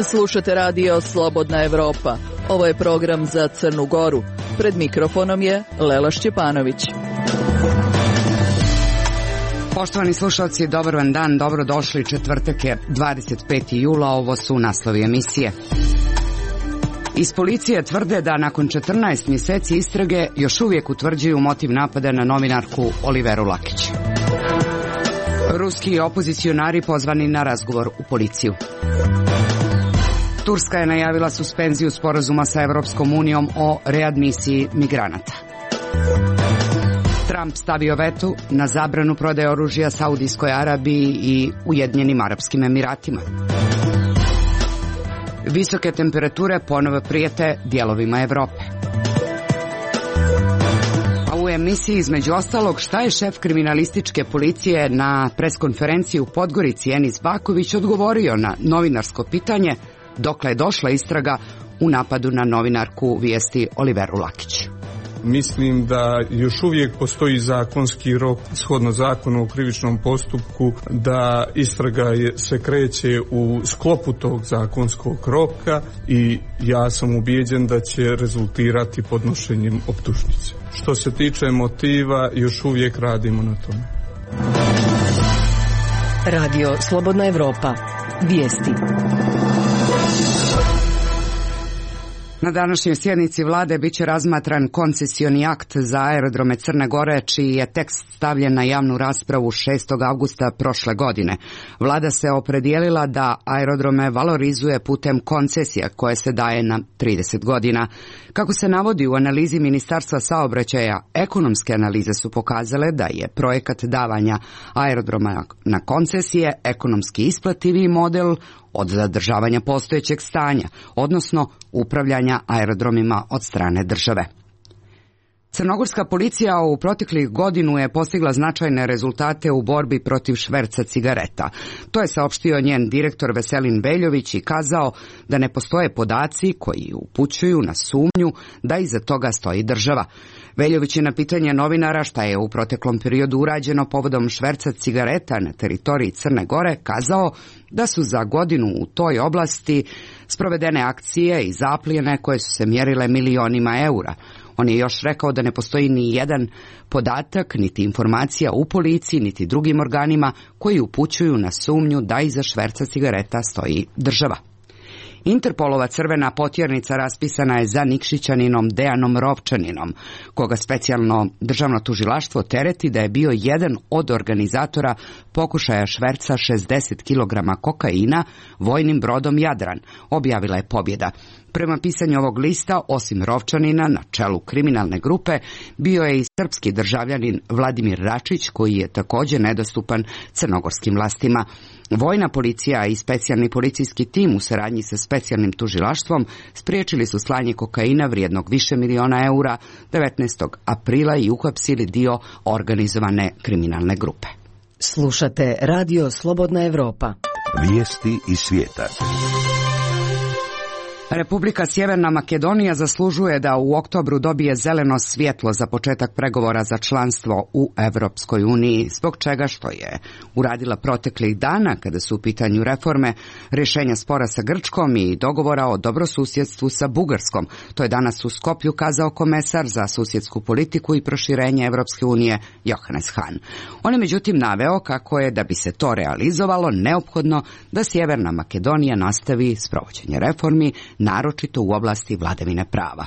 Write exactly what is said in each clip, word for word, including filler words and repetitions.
Slušate radio Slobodna Evropa. Ovo je program za Crnu Goru. Pred mikrofonom je Lela Šćepanović. Poštovani slušalci, dobar vam dan, dobrodošli. Četvrtak je dvadeset peti jula, ovo su naslovi emisije. Iz policije tvrde da nakon četrnaest mjeseci istrage još uvijek utvrđuju motiv napada na novinarku Oliveru Lakić. Ruski opozicionari pozvani na razgovor u policiju. Turska je najavila suspenziju sporazuma sa Evropskom unijom o readmisiji migranata. Trump stavio veto na zabranu prodaje oružja Saudijskoj Arabiji i Ujedinjenim Arapskim Emiratima. Visoke temperature ponovo prijete dijelovima Europe. A u emisiji između ostalog šta je šef kriminalističke policije na preskonferenciji u Podgorici Enis Baković odgovorio na novinarsko pitanje dokle je došla istraga u napadu na novinarku Vijesti Oliveru Lakić. Mislim da još uvijek postoji zakonski rok, shodno zakonu o krivičnom postupku, da istraga je, se kreće u sklopu tog zakonskog roka i ja sam ubijeđen da će rezultirati podnošenjem optužnice. Što se tiče motiva, još uvijek radimo na tome. Radio Slobodna Evropa. Vijesti. Na današnjoj sjednici vlade bit će razmatran koncesioni akt za aerodrome Crne Gore, čiji je tekst stavljen na javnu raspravu šestog avgusta prošle godine. Vlada se opredijelila da aerodrome valorizuje putem koncesija koje se daje na trideset godina. Kako se navodi u analizi Ministarstva saobraćaja, ekonomske analize su pokazale da je projekat davanja aerodroma na koncesije ekonomski isplativiji model od zadržavanja postojećeg stanja, odnosno upravljanja aerodromima od strane države. Crnogorska policija u proteklih godinu je postigla značajne rezultate u borbi protiv šverca cigareta. To je saopštio njen direktor Veselin Veljović i kazao da ne postoje podaci koji upućuju na sumnju da iza toga stoji država. Veljović je na pitanje novinara šta je u proteklom periodu urađeno povodom šverca cigareta na teritoriji Crne Gore kazao da su za godinu u toj oblasti sprovedene akcije i zaplijene koje su se mjerile milionima eura. On je još rekao da ne postoji ni jedan podatak, niti informacija u policiji, niti drugim organima koji upućuju na sumnju da iza šverca cigareta stoji država. Interpolova crvena potjernica raspisana je za Nikšićaninom Dejanom Rovčaninom, koga specijalno državno tužilaštvo tereti da je bio jedan od organizatora pokušaja šverca šezdeset kilograma kokaina vojnim brodom Jadran, objavila je Pobjeda. Prema pisanju ovog lista, osim Rovčanina, na čelu kriminalne grupe, bio je i srpski državljanin Vladimir Račić, koji je također nedostupan crnogorskim vlastima. Vojna policija i specijalni policijski tim u saradnji sa specijalnim tužilaštvom spriječili su slanje kokaina vrijednog više miliona eura devetnaestog aprila i uhapsili dio organizovane kriminalne grupe. Slušate radio Slobodna Evropa. Vijesti iz svijeta. Republika Sjeverna Makedonija zaslužuje da u oktobru dobije zeleno svjetlo za početak pregovora za članstvo u Evropskoj uniji, zbog čega što je uradila proteklih dana kada su u pitanju reforme, rješenja spora sa Grčkom i dogovora o dobrosusjedstvu sa Bugarskom. To je danas u Skoplju kazao komesar za susjedsku politiku i proširenje Evropske unije Johannes Hahn. On je međutim naveo kako je, da bi se to realizovalo, neophodno da Sjeverna Makedonija nastavi sprovođenje reformi, naročito u oblasti vladavine prava.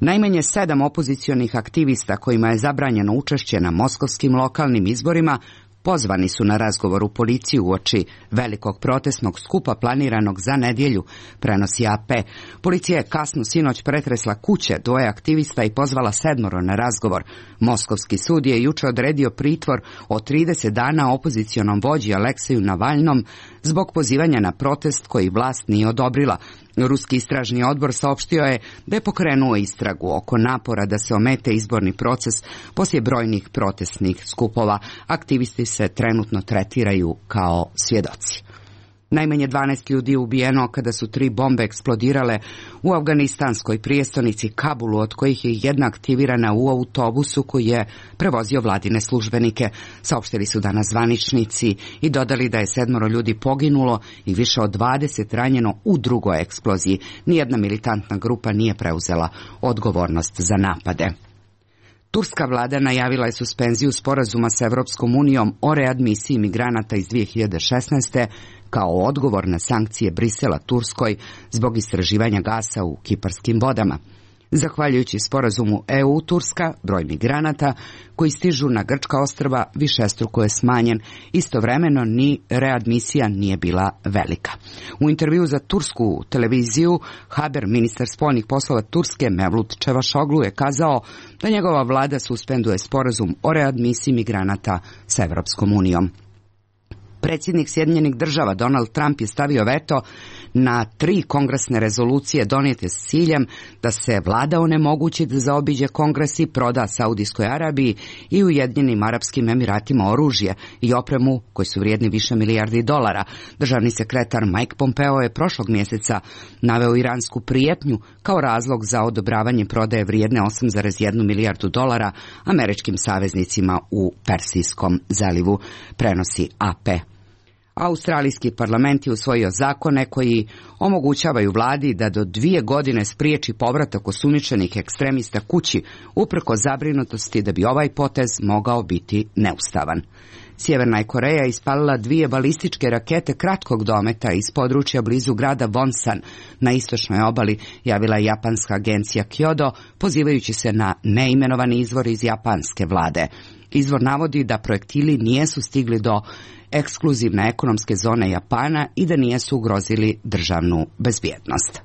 Najmanje sedam opozicionih aktivista kojima je zabranjeno učešće na moskovskim lokalnim izborima pozvani su na razgovor u policiju uoči velikog protestnog skupa planiranog za nedjelju, prenosi A P. Policija je kasno sinoć pretresla kuće dvoje aktivista i pozvala sedmoro na razgovor. Moskovski sud je jučer odredio pritvor od trideset dana opozicionom vođi Alekseju Navalnom zbog pozivanja na protest koji vlast nije odobrila. Ruski istražni odbor saopštio je da je pokrenuo istragu oko napora da se omete izborni proces poslije brojnih protestnih skupova. Aktivisti se trenutno tretiraju kao svjedoci. Najmanje dvanaest ljudi je ubijeno kada su tri bombe eksplodirale u afganistanskoj prijestolnici Kabulu, od kojih je jedna aktivirana u autobusu koji je prevozio vladine službenike, saopštili su danas zvaničnici i dodali da je sedmoro ljudi poginulo i više od dvadeset ranjeno u drugoj eksploziji. Nijedna militantna grupa nije preuzela odgovornost za napade. Turska vlada najavila je suspenziju sporazuma sa Evropskom unijom o readmisiji migranata iz dvije hiljade šesnaeste. kao odgovor na sankcije Brisela Turskoj zbog istraživanja gasa u kiparskim vodama. Zahvaljujući sporazumu E U-Turska, broj migranata koji stižu na grčka ostrva višestruko je smanjen, istovremeno ni readmisija nije bila velika. U intervju za tursku televiziju, Haber, ministar spoljnih poslova Turske Mevlut Čevašoglu, je kazao da njegova vlada suspenduje sporazum o readmisiji migranata sa Evropskom unijom. Predsjednik Sjedinjenih država Donald Trump je stavio veto na tri kongresne rezolucije donijete s ciljem da se vlada onemogući da zaobiđe kongres i proda Saudijskoj Arabiji i Ujedinjenim Arapskim Emiratima oružje i opremu koji su vrijedni više milijardi dolara. Državni sekretar Mike Pompeo je prošlog mjeseca naveo iransku prijetnju kao razlog za odobravanje prodaje vrijedne osam zarez jednu milijardu dolara američkim saveznicima u Persijskom zalivu, prenosi A P. Australijski parlament je usvojio zakone koji omogućavaju vladi da do dvije godine spriječi povratak osumnjičenih ekstremista kući, uprkos zabrinutosti da bi ovaj potez mogao biti neustavan. Sjeverna je Koreja ispalila dvije balističke rakete kratkog dometa iz područja blizu grada Wonsan na istočnoj obali, javila je japanska agencija Kyodo, pozivajući se na neimenovani izvor iz japanske vlade. Izvor navodi da projektili nijesu stigli do ekskluzivne ekonomske zone Japana i da nijesu ugrozili državnu bezbjednost.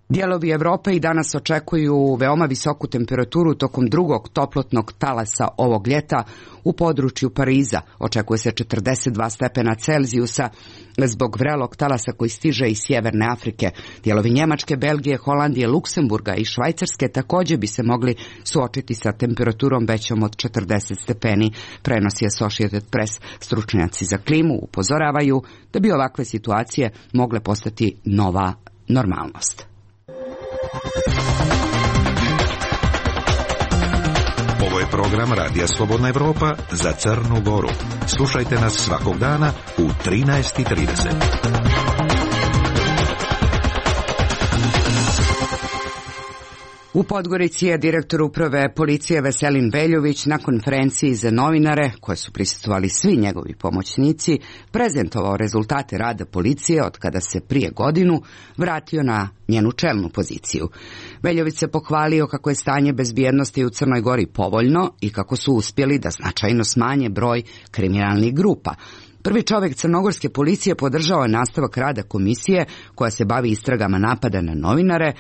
Dijelovi Europe i danas očekuju veoma visoku temperaturu tokom drugog toplotnog talasa ovog ljeta. U području Pariza očekuje se četrdeset dva stepena Celzijusa zbog vrelog talasa koji stiže iz sjeverne Afrike. Dijelovi Njemačke, Belgije, Holandije, Luksemburga i Švajcarske također bi se mogli suočiti sa temperaturom većom od četrdeset stepeni, prenosi Associated Press. Stručnjaci za klimu upozoravaju da bi ovakve situacije mogle postati nova normalnost. Ovo je program Radija Slobodna Evropa za Crnu Goru. Slušajte nas svakog dana u trinaest i trideset. U Podgorici je direktor uprave policije Veselin Veljović na konferenciji za novinare, koje su prisustvovali svi njegovi pomoćnici, prezentovao rezultate rada policije od kada se prije godinu vratio na njenu čelnu poziciju. Veljović se pohvalio kako je stanje bezbjednosti u Crnoj Gori povoljno i kako su uspjeli da značajno smanje broj kriminalnih grupa. Prvi čovjek crnogorske policije podržao je nastavak rada komisije koja se bavi istragama napada na novinare,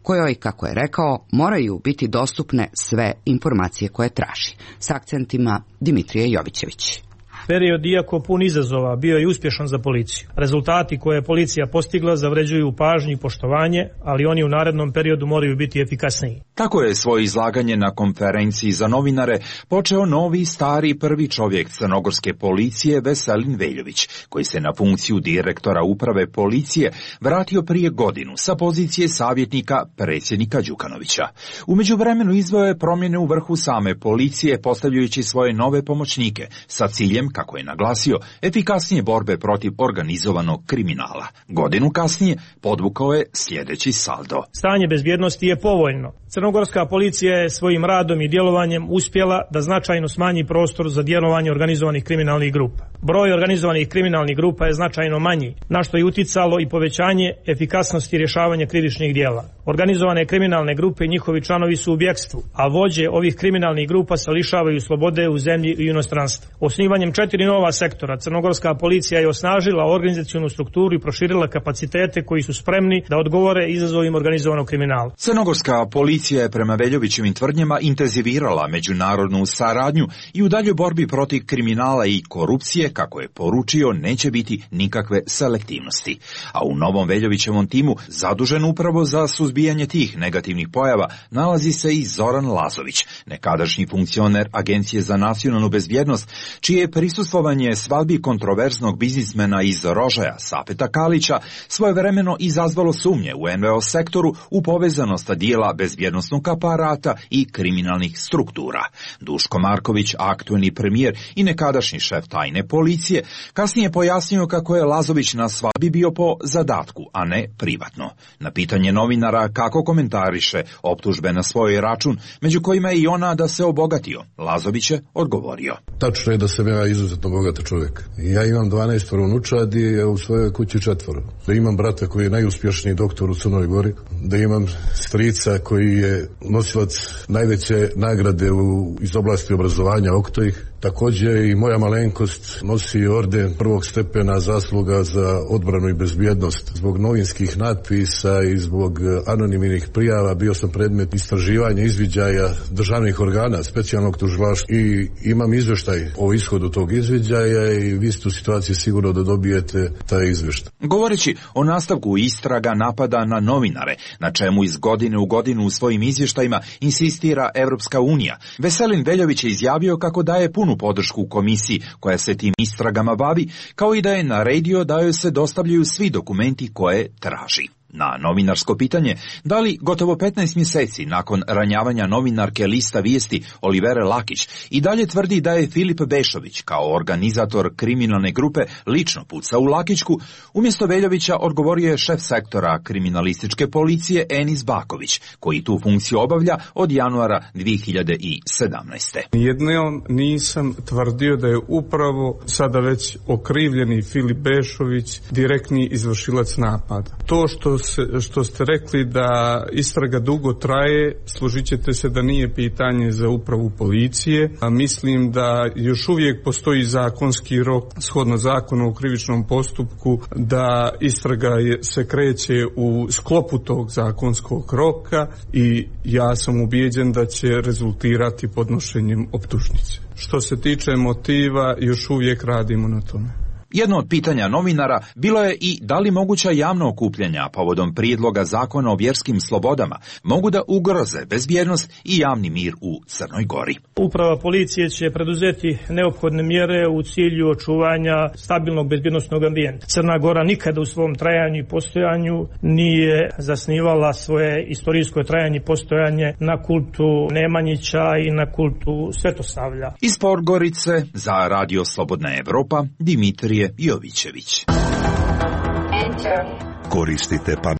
kojoj, kako je rekao, moraju biti dostupne sve informacije koje traži. S akcentima Dimitrije Jovićević. Period, iako pun izazova, bio je uspješan za policiju. Rezultati koje je policija postigla zavređuju pažnju i poštovanje, ali oni u narednom periodu moraju biti efikasniji. Tako je svoje izlaganje na konferenciji za novinare počeo novi stari prvi čovjek crnogorske policije Veselin Veljović, koji se na funkciju direktora uprave policije vratio prije godinu sa pozicije savjetnika predsjednika Đukanovića. U međuvremenu izveo je promjene u vrhu same policije, postavljajući svoje nove pomoćnike sa ciljem, kako je naglasio, efikasnije borbe protiv organizovanog kriminala. Godinu kasnije podvukao je sljedeći saldo. Stanje bezbjednosti je povoljno. Crnogorska policija je svojim radom i djelovanjem uspjela da značajno smanji prostor za djelovanje organizovanih kriminalnih grupa. Broj organizovanih kriminalnih grupa je značajno manji, na što je uticalo i povećanje efikasnosti rješavanja krivičnih djela. Organizovane kriminalne grupe i njihovi članovi su u bjekstvu, a vođe ovih kriminalnih grupa se lišavaju slobode u zemlji i inostranstvu. Osnivanjem četiri nova sektora, crnogorska policija je osnažila organizacionu strukturu i proširila kapacitete koji su spremni da odgovore izazovima organizovanog kriminala. Crnogorska policija policija je prema Veljovićevim tvrdnjama intenzivirala međunarodnu saradnju i u daljoj borbi protiv kriminala i korupcije, kako je poručio, neće biti nikakve selektivnosti. A u novom Veljovićevom timu, zadužen upravo za suzbijanje tih negativnih pojava, nalazi se i Zoran Lazović, nekadašnji funkcioner Agencije za nacionalnu bezbjednost, čije je prisustvovanje svadbi kontroverznog biznismena iz Rožaja, Sapeta Kalića, svojevremeno izazvalo sumnje u en ve o sektoru u povezanost dijela bezbjednosnog aparata i kriminalnih struktura. Duško Marković, aktuelni premijer i nekadašnji šef tajne policije, kasnije pojasnio kako je Lazović na svadbi bio po zadatku, a ne privatno. Na pitanje novinara kako komentariše optužbe na svoj račun, među kojima je i ona da se obogatio, Lazović je odgovorio. Tačno je da sam ja izuzetno bogat čovjek. Ja imam dvanaest unučadi, a u svojoj kući četvoro. Da imam brata koji je najuspješniji doktor u Crnoj Gori, da imam strica koji je nosilac najveće nagrade u, iz oblasti obrazovanja Oktojih. Također i moja malenkost nosi orden prvog stepena zasluga za odbranu i bezbjednost. Zbog novinskih natpisa i zbog anonimnih prijava bio sam predmet istraživanja, izviđaja državnih organa, specijalnog tužilaštva i imam izvještaj o ishodu tog izviđaja i vi ste u situaciji sigurno da dobijete taj izvještaj. Govoreći o nastavku istraga napada na novinare, na čemu iz godine u godinu u svojim izvještajima insistira Evropska unija, Veselin Veljović je izjavio kako daje punu podršku komisiji koja se tim istragama bavi, kao i da je naredio da joj se dostavljaju svi dokumenti koje traži. Na novinarsko pitanje, da li gotovo petnaest mjeseci nakon ranjavanja novinarke Lista vijesti Olivere Lakić i dalje tvrdi da je Filip Bešović kao organizator kriminalne grupe lično pucao u Lakićku, umjesto Veljovića odgovorio je šef sektora kriminalističke policije Enis Baković, koji tu funkciju obavlja od januara dvije hiljade sedamnaeste. Jednom nisam tvrdio da je upravo sada već okrivljeni Filip Bešović direktni izvršilac napada. To što što ste rekli da istraga dugo traje, složit ćete se da nije pitanje za upravu policije, a mislim da još uvijek postoji zakonski rok, shodno zakonu o krivičnom postupku, da istraga je, se kreće u sklopu tog zakonskog roka i ja sam ubijeđen da će rezultirati podnošenjem optužnice. Što se tiče motiva, još uvijek radimo na tome. Jedno od pitanja novinara bilo je i da li moguća javna okupljanja povodom prijedloga zakona o vjerskim slobodama mogu da ugroze bezbjednost i javni mir u Crnoj Gori. Uprava policije će preduzeti neophodne mjere u cilju očuvanja stabilnog bezbjednosnog ambijenta. Crna Gora nikada u svom trajanju i postojanju nije zasnivala svoje istorijsko trajanje i postojanje na kultu Nemanjića i na kultu Svetosavlja. Iz Podgorice za Radio Slobodna Evropa, Dimitrije Jovićević. Koristite pa...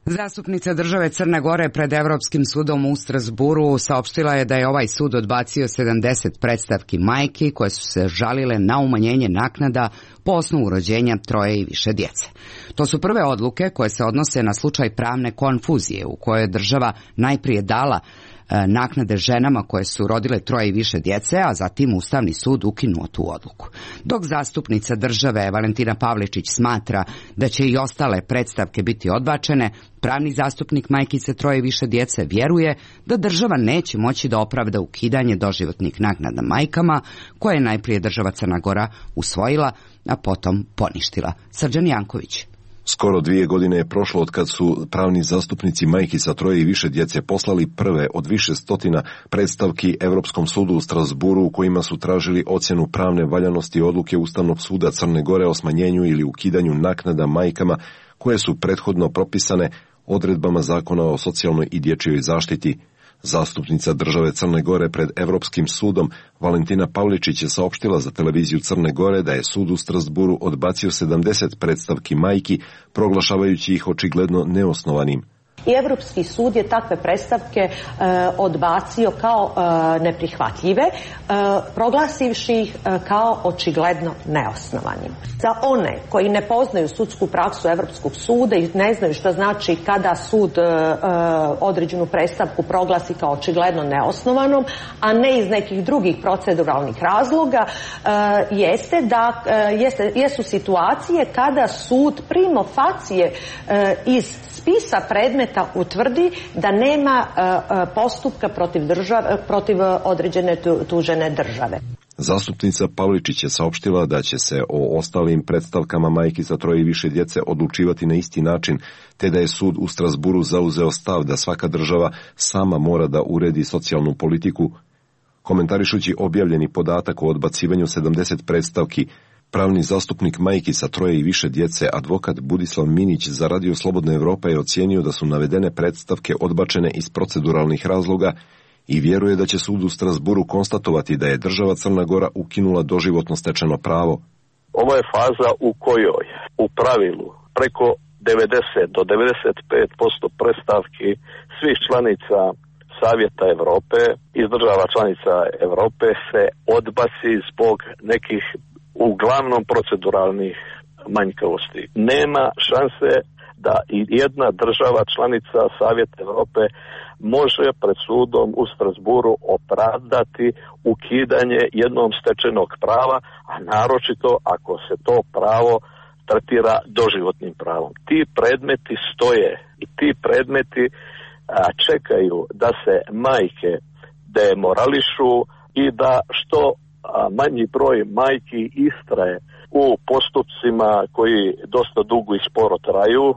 Zastupnica države Crne Gore pred Evropskim sudom u Strasburu saopštila je da je ovaj sud odbacio sedamdeset predstavki majki koje su se žalile na umanjenje naknada po osnovu rođenja troje i više djece. To su prve odluke koje se odnose na slučaj pravne konfuzije u kojoj je država najprije dala naknade ženama koje su rodile troje i više djece, a zatim Ustavni sud ukinuo tu odluku. Dok zastupnica države Valentina Pavličić smatra da će i ostale predstavke biti odbačene, pravni zastupnik majkice troje i više djece vjeruje da država neće moći da opravda ukidanje doživotnih naknada majkama, koje je najprije država Crna Gora usvojila, a potom poništila. Srđan Janković. Skoro dvije godine je prošlo od kad su pravni zastupnici majki sa troje i više djece poslali prve od više stotina predstavki Europskom sudu u Strasburu u kojima su tražili ocjenu pravne valjanosti odluke Ustavnog suda Crne Gore o smanjenju ili ukidanju naknada majkama koje su prethodno propisane odredbama Zakona o socijalnoj i dječjoj zaštiti. Zastupnica države Crne Gore pred Europskim sudom Valentina Pavličić je saopštila za televiziju Crne Gore da je sud u Strasburu odbacio sedamdeset predstavki majki, proglašavajući ih očigledno neosnovanim. I Europski sud je takve predstavke e, odbacio kao e, neprihvatljive, e, proglasivši ih e, kao očigledno neosnovanim. Za one koji ne poznaju sudsku praksu Europskog suda i ne znaju što znači kada sud e, određenu predstavku proglasi kao očigledno neosnovanom, a ne iz nekih drugih proceduralnih razloga, e, jeste da e, jeste, jesu situacije kada sud primo facie e, iz spisa predmeta predmeta utvrdi da nema postupka protiv, države, protiv određene tužene države. Zastupnica Pavličić je saopštila da će se o ostalim predstavkama majki sa troje i više djece odlučivati na isti način, te da je sud u Strasburu zauzeo stav da svaka država sama mora da uredi socijalnu politiku. Komentarišući objavljeni podatak o odbacivanju sedamdeset predstavki, pravni zastupnik majki sa troje i više djece, advokat Budislav Minić za Radio Slobodna Evropa je ocijenio da su navedene predstavke odbačene iz proceduralnih razloga i vjeruje da će sud u Strasburu konstatovati da je država Crna Gora ukinula doživotno stečeno pravo. Ovo je faza u kojoj u pravilu preko devedeset do devedeset pet posto predstavki svih članica Savjeta Evrope iz država članica Evrope se odbaci zbog nekih uglavnom proceduralnih manjkavosti. Nema šanse da i jedna država članica Savjeta Evrope može pred sudom u Strasburu opravdati ukidanje jednom stečenog prava, a naročito ako se to pravo tretira doživotnim pravom. Ti predmeti stoje i ti predmeti a, čekaju da se majke demorališu i da što a, manji broj majki istraje u postupcima koji dosta dugo i sporo traju.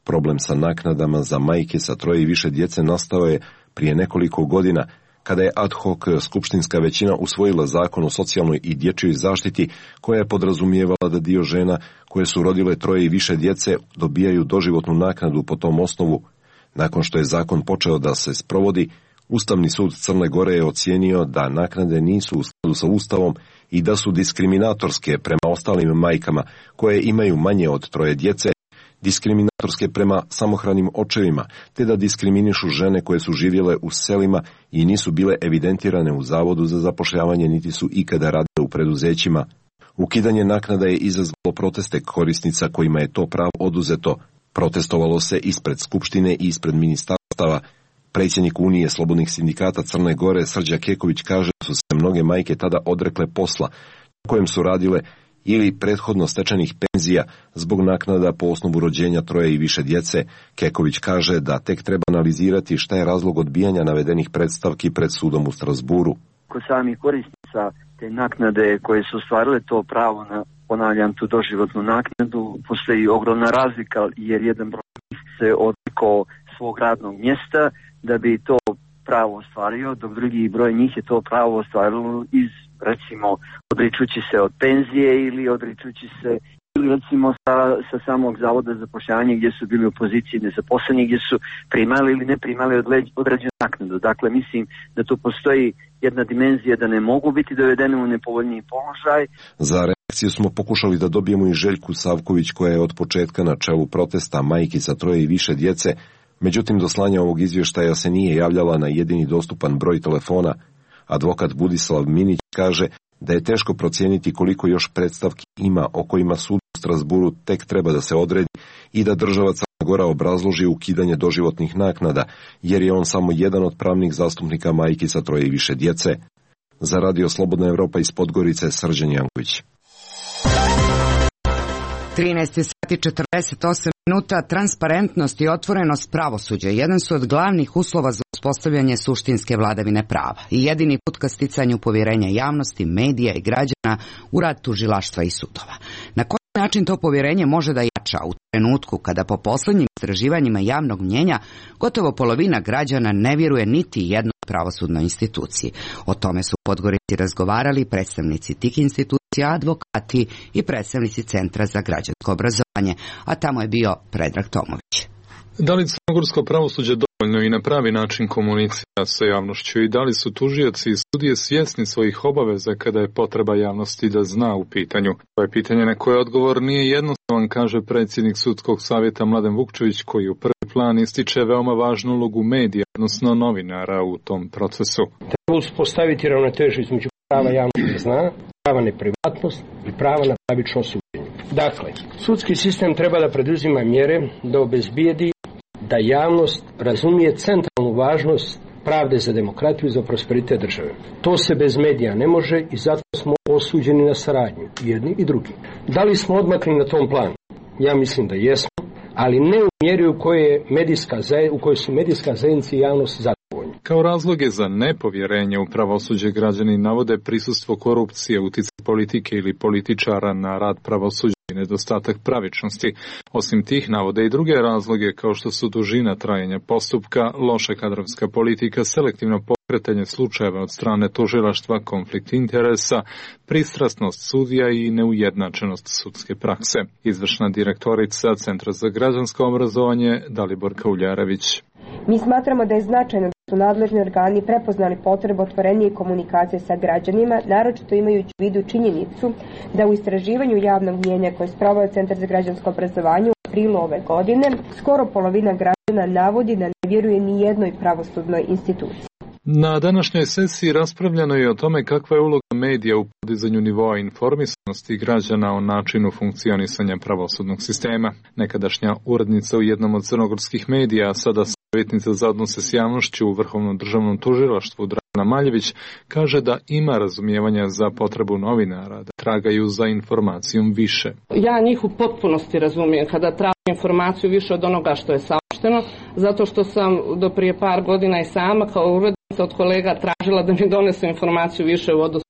Problem sa naknadama za majke sa troje i više djece nastao je prije nekoliko godina, kada je ad hoc skupštinska većina usvojila zakon o socijalnoj i dječjoj zaštiti, koja je podrazumijevala da dio žena koje su rodile troje i više djece dobijaju doživotnu naknadu po tom osnovu. Nakon što je zakon počeo da se sprovodi, Ustavni sud Crne Gore je ocijenio da naknade nisu u skladu sa Ustavom i da su diskriminatorske prema ostalim majkama koje imaju manje od troje djece, diskriminatorske prema samohranim očevima, te da diskriminišu žene koje su živjele u selima i nisu bile evidentirane u Zavodu za zapošljavanje, niti su ikada radile u preduzećima. Ukidanje naknada je izazvalo proteste korisnica kojima je to pravo oduzeto. Protestovalo se ispred Skupštine i ispred ministarstava. Predsjednik Unije slobodnih sindikata Crne Gore Srđa Keković kaže da su se mnoge majke tada odrekle posla na kojem su radile ili prethodno stečenih penzija zbog naknada po osnovu rođenja troje i više djece. Keković kaže da tek treba analizirati šta je razlog odbijanja navedenih predstavki pred sudom u Strasburu. Kod samih korisnica te naknade koje su ostvarile to pravo na, ponavljam, tu doživotnu naknadu, postoji ogromna razlika jer jedan broj se odrekao svog radnog mjesta da bi to pravo ostvario, dok drugi broj njih je to pravo ostvarilo iz, recimo, odričući se od penzije ili odričući se ili recimo sa, sa samog zavoda za zapošljavanje gdje su bili u poziciji nezaposleni, gdje su primali ili ne primali određenu naknadu. Dakle, mislim da tu postoji jedna dimenzija da ne mogu biti dovedeni u nepovoljniji položaj. Za reakciju smo pokušali da dobijemo i Željku Savković, koja je od početka na čelu protesta majki sa troje i više djece. Međutim, do slanja ovog izvještaja se nije javljala na jedini dostupan broj telefona. Advokat Budislav Minić kaže da je teško procijeniti koliko još predstavki ima o kojima sud u Strasburu tek treba da se odredi i da država Crna Gora obrazloži ukidanje doživotnih naknada, jer je on samo jedan od pravnih zastupnika majki sa troje i više djece. Za Radio Slobodna Evropa iz Podgorice, Srđan Janković. trinaest sati četrdeset osam minuta. Transparentnost i otvorenost pravosuđa jedan su od glavnih uslova za uspostavljanje suštinske vladavine prava i jedini put ka sticanju povjerenja javnosti, medija i građana u rad tužilaštva i sudova. Na koji način to povjerenje može da jača u trenutku kada po posljednjim istraživanjima javnog mnjenja gotovo polovina građana ne vjeruje niti jednoj pravosudnoj instituciji? O tome su u Podgorici razgovarali predstavnici tih institucija, advokati i predstavnici Centra za građansko obrazovanje, a tamo je bio Predrag Tomović. Da li crnogorsko pravosuđe dovoljno i na pravi način komunicira sa javnošću i da li su tužioci i sudije svjesni svojih obaveza kada je potreba javnosti da zna u pitanju? To je pitanje na koje odgovor nije jednostavan, kaže predsjednik sudskog savjeta Mladen Vukčević, koji u prvi plan ističe veoma važnu ulogu medija, odnosno novinara u tom procesu. Treba uspostaviti ravnotežu između prava javnosti da zna, prava na privatnost i prava na pravično suđenje. Dakle, sudski sistem treba da preduzima mjere da obezbijedi da javnost razumije centralnu važnost pravde za demokratiju i za prosperitet države. To se bez medija ne može i zato smo osuđeni na saradnju, jedni i drugi. Da li smo odmakli na tom planu? Ja mislim da jesmo, ali ne u mjeri u kojoj, je medijska, u kojoj su medijska zajednica i javnost zadovoljni. Kao razloge za nepovjerenje u pravosuđe građani navode prisustvo korupcije, utjecaj politike ili političara na rad pravosuđa i nedostatak pravičnosti. Osim tih navode i druge razloge kao što su dužina trajanja postupka, loša kadrovska politika, selektivno pokretanje slučajeva od strane tužilaštva, konflikt interesa, pristrasnost sudija i neujednačenost sudske prakse. Izvršna direktorica Centra za građansko obrazovanje Dalibor Kauljarević. Mi smatramo da je značajno da su nadležni organi prepoznali potrebu otvorenije komunikacije sa građanima, naročito imajući u vidu činjenicu da u istraživanju javnog mnijenja koje je sproveo Centar za građansko obrazovanje u aprilu ove godine, skoro polovina građana navodi da ne vjeruje ni jednoj pravosudnoj instituciji. Na današnjoj sesiji raspravljano je o tome kakva je uloga medija u podizanju nivoa informisanosti građana o načinu funkcionisanja pravosudnog sistema. Nekadašnja urednica u jednom od crnogorskih medija, a sada savjetnica za odnose s javnošću u Vrhovnom državnom tužilaštvu Dragana Maljević, kaže da ima razumijevanja za potrebu novinara da tragaju za informacijom više. Ja njih u potpunosti razumijem kada tražim informaciju više od onoga što je saopšteno, zato što sam do prije par godina i sama kao urednica od kolega tražila da mi donesu informaciju više u odnosu,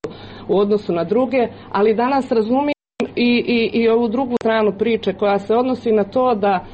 u odnosu na druge, ali danas razumijem i, i, i ovu drugu stranu priče koja se odnosi na to da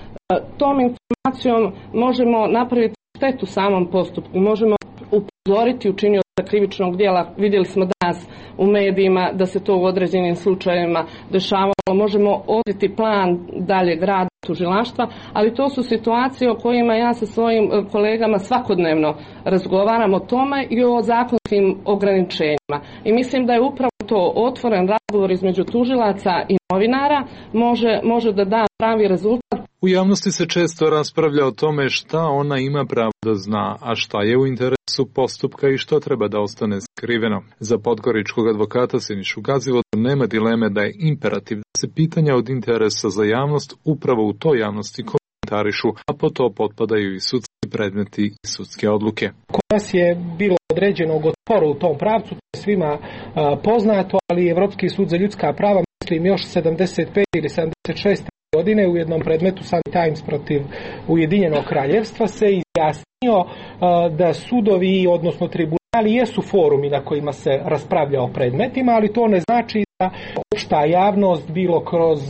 tom informacijom možemo napraviti štetu samom postupku, možemo upozoriti učinioca krivičnog djela. Vidjeli smo danas u medijima da se to u određenim slučajevima dešavalo, možemo odrediti plan daljeg rada tužilaštva, ali to su situacije o kojima ja sa svojim kolegama svakodnevno razgovaram o tome i o zakonskim ograničenjima. I mislim da je upravo to otvoren razgovor između tužilaca i novinara može, može da da pravi rezultat. U javnosti se često raspravlja o tome šta ona ima pravo da zna, a šta je u interesu postupka i što treba da ostane skriveno. Za podgoričkog advokata Sinišu Gazivodu nema dileme da je imperativ da se pitanja od interesa za javnost upravo u toj javnosti komentarišu, a po to potpadaju i sudski predmeti i sudske odluke. Kod nas je bilo određenog otpora u tom pravcu, to je svima a, poznato, ali Evropski sud za ljudska prava, mislim još sedamdeset pet ili sedamdeset šest godine u jednom predmetu Sunday Times protiv Ujedinjenog kraljevstva se izjasnio uh, da sudovi, odnosno tribunali, jesu forumi na kojima se raspravlja o predmetima, ali to ne znači da opšta javnost, bilo kroz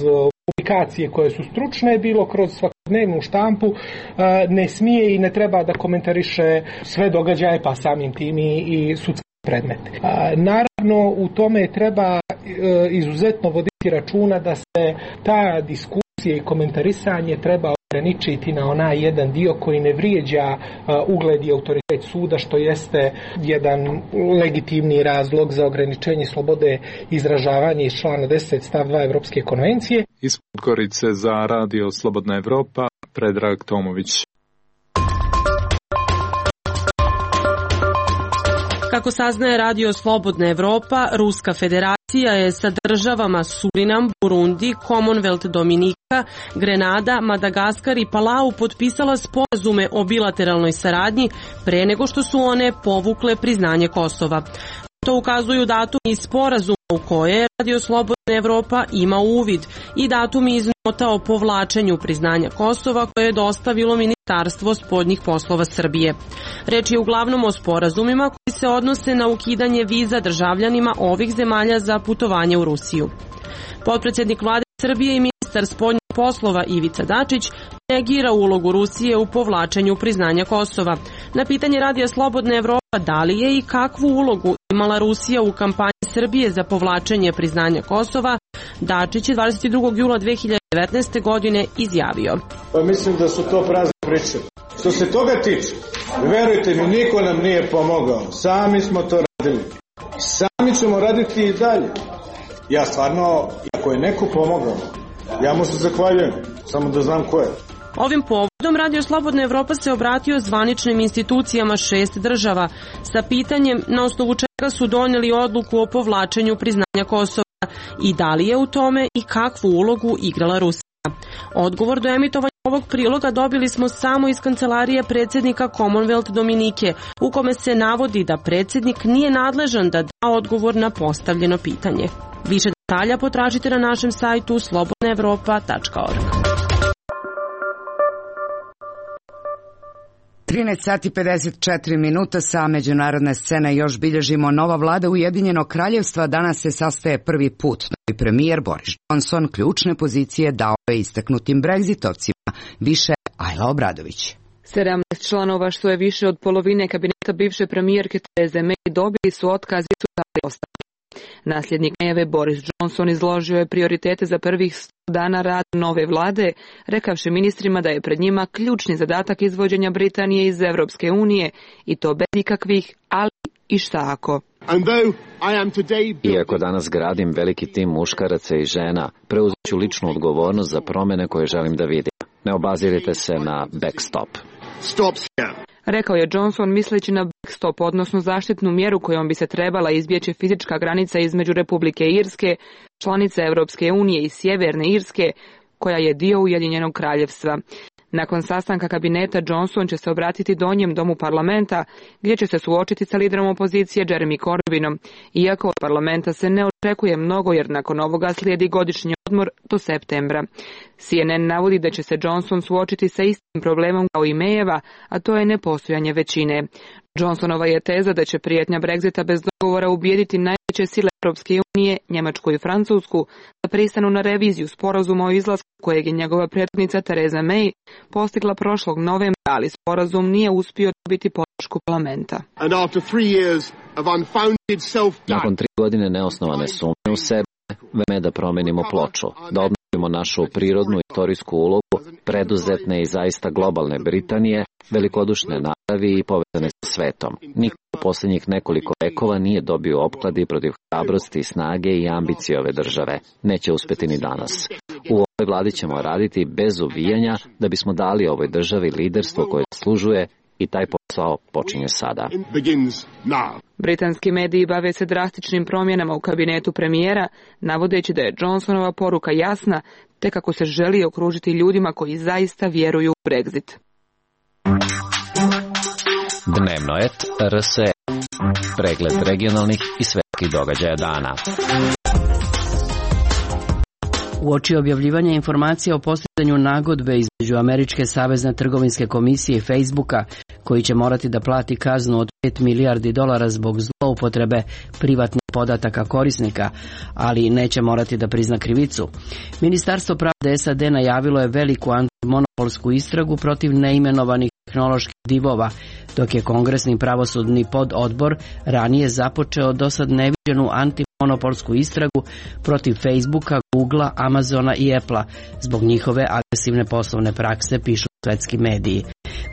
publikacije koje su stručne, bilo kroz svakodnevnu štampu, uh, ne smije i ne treba da komentariše sve događaje, pa samim tim i, i sudske predmete. Uh, naravno, u tome treba uh, izuzetno voditi računa da se ta diskusija i komentarisanje treba ograničiti na onaj jedan dio koji ne vrijeđa uh, ugled i autoritet suda, što jeste jedan legitimni razlog za ograničenje slobode izražavanja iz člana deset stav dva Evropske konvencije. Iz Podgorice za Radio Slobodna Evropa, Predrag Tomović. Kako saznaje Radio Slobodna Evropa, Ruska federacija je sa državama Surinam, Burundi, Commonwealth Dominika, Grenada, Madagaskar i Palau potpisala sporazume o bilateralnoj saradnji pre nego što su one povukle priznanje Kosova. To ukazuju datumi iz sporazuma u koje Radio Slobodna Evropa ima uvid i datumi iz nota o povlačenju priznanja Kosova koje je dostavilo Ministarstvo spoljnih poslova Srbije. Reč je uglavnom o sporazumima koji se odnose na ukidanje viza državljanima ovih zemalja za putovanje u Rusiju. Potpredsjednik vlade Srbije i ministar spoljnih poslova Ivica Dačić negira ulogu Rusije u povlačenju priznanja Kosova. Na pitanje Radija Slobodna Evropa da li je i kakvu ulogu imala Rusija u kampanji Srbije za povlačenje priznanja Kosova, Dačić je dvadeset drugog jula dve hiljade devetnaeste. godine izjavio. Pa mislim da su to prazne priče. Što se toga tiče, verujte mi, niko nam nije pomogao. Sami smo to radili. Sami ćemo raditi i dalje. Ja stvarno, ako je neko pomogao, ja mu se zahvaljujem, samo da znam ko je. Ovim povodom Radio Slobodna Evropa se obratio zvaničnim institucijama šest država sa pitanjem na osnovu čega su donijeli odluku o povlačenju priznanja Kosova i da li je u tome i kakvu ulogu igrala Rusija. Odgovor do emitovanja ovog priloga dobili smo samo iz kancelarije predsjednika Commonwealth Dominike, u kome se navodi da predsjednik nije nadležan da da odgovor na postavljeno pitanje. Više detalja potražite na našem sajtu slobodna evropa tačka org. trinaest sati pedeset četiri minuta sa međunarodne scene još bilježimo. Nova vlada Ujedinjenog kraljevstva danas se sastaje prvi put. Novi premijer Boris Johnson ključne pozicije dao je istaknutim Brexitovcima. Više Ajla Obradović. sedamnaest članova, što je više od polovine kabineta bivše premijerke Therese May, dobili su otkaz i su dali ostavke. Nasljednik Mayjeve Boris Johnson izložio je prioritete za prvih sto dana rada nove vlade, rekavši ministrima da je pred njima ključni zadatak izvođenja Britanije iz Evropske unije i to bez ikakvih ali i šta ako. Iako danas gradim veliki tim muškaraca i žena, preuzet ću ličnu odgovornost za promjene koje želim da vidim. Ne obazirite se na backstop. Rekao je Johnson misleći na backstop, odnosno zaštitnu mjeru kojom bi se trebala izbjeći fizička granica između Republike Irske, članice Evropske unije i Sjeverne Irske, koja je dio Ujedinjenog kraljevstva. Nakon sastanka kabineta Johnson će se obratiti donjem domu parlamenta, gdje će se suočiti sa liderom opozicije Jeremy Corbynom. Iako od parlamenta se ne očekuje mnogo jer nakon ovoga slijedi godišnji odmor do septembra. C N N navodi da će se Johnson suočiti sa istim problemom kao i Mayjeva, a to je nepostojanje većine. Johnsonova je teza da će prijetnja Brexita bez dogovora ubijediti najveće sile Europske unije, Njemačku i Francusku, da pristanu na reviziju sporazuma o izlasku kojeg je njegova prethodnica Theresa May postigla prošlog novembra, ali sporazum nije uspio dobiti podršku parlamenta. Nakon tri godine neosnovane sumnje u sebe, vreme je da promenimo ploču, da obnovimo našu prirodnu istorijsku ulogu, preduzetne i zaista globalne Britanije, velikodušne naravi i povezane sa svetom. Niko u posljednjih nekoliko vekova nije dobio opkladi protiv hrabrosti, snage i ambicije ove države. Neće uspjeti ni danas. U ovoj vladi ćemo raditi bez uvijanja da bismo dali ovoj državi liderstvo koje zaslužuje i taj posao počinje sada. Britanski mediji bave se drastičnim promjenama u kabinetu premijera, navodeći da je Johnsonova poruka jasna, te kako se želi okružiti ljudima koji zaista vjeruju u Brexit. Dnevno et R S E. Pregled regionalnih i svetskih događaja dana. Uoči objavljivanja informacija o postizanju nagodbe između Američke savezne trgovinske komisije i Facebooka, koji će morati da plati kaznu od pet milijardi dolara zbog zloupotrebe privatnih podataka korisnika, ali neće morati da prizna krivicu. Ministarstvo pravde S A D najavilo je veliku antimonopolsku istragu protiv neimenovanih tehnoloških divova, dok je Kongresni pravosudni pododbor ranije započeo dosad neviđenu antimonopolsku istragu protiv Facebooka, Googlea, Amazona i Applea zbog njihove agresivne poslovne prakse, pišu svetski mediji.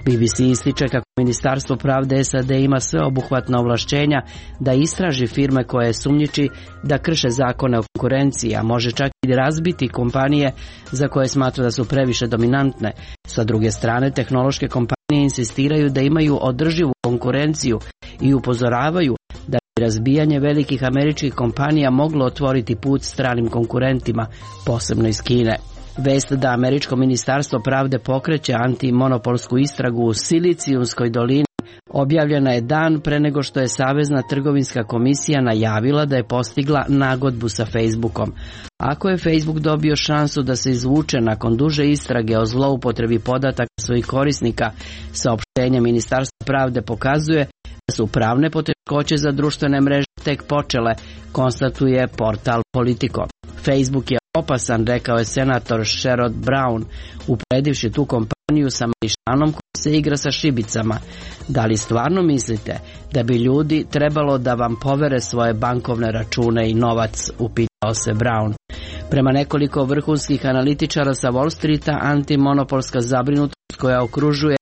B B C ističe kako Ministarstvo pravde S A D ima sveobuhvatna ovlašćenja da istraži firme koje sumnjiči da krše zakone o konkurenciji, a može čak i razbiti kompanije za koje smatra da su previše dominantne. Sa druge strane, tehnološke kompanije insistiraju da imaju održivu konkurenciju i upozoravaju da bi razbijanje velikih američkih kompanija moglo otvoriti put stranim konkurentima, posebno iz Kine. Vest da Američko ministarstvo pravde pokreće antimonopolsku istragu u Silicijumskoj dolini objavljena je dan pre nego što je Savezna trgovinska komisija najavila da je postigla nagodbu sa Facebookom. Ako je Facebook dobio šansu da se izvuče nakon duže istrage o zloupotrebi podataka svojih korisnika, saopštenje Ministarstva pravde pokazuje da su pravne poteškoće za društvene mreže tek počele, konstatuje portal Politico. Facebook je opasan, rekao je senator Sherrod Brown, uporedivši tu kompaniju sa mališanom koji se igra sa šibicama. Da li stvarno mislite da bi ljudi trebalo da vam povere svoje bankovne račune i novac, upitao se Brown. Prema nekoliko vrhunskih analitičara sa Wall Streeta, antimonopolska zabrinutost koja okružuje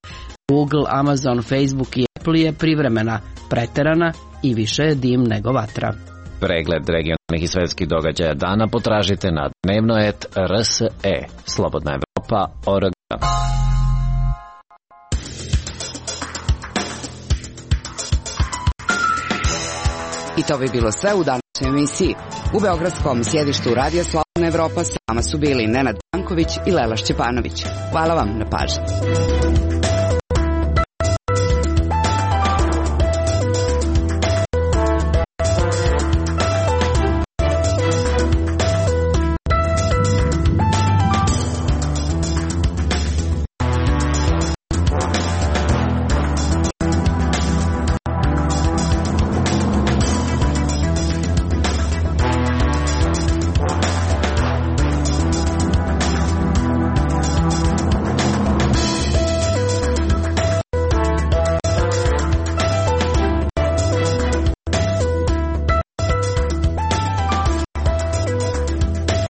Google, Amazon, Facebook i Apple je privremena, preterana i više je dim nego vatra. Pregled regionalnih i svetskih događaja dana potražite na dnevno et R S E. Slobodna Evropa, O R G. I to bi bilo sve u današnjoj emisiji. U beogradskom sjedištu Radija Slobodna Evropa s vama su bili Nenad Danković i Lela Šćepanović. Hvala vam na pažnji.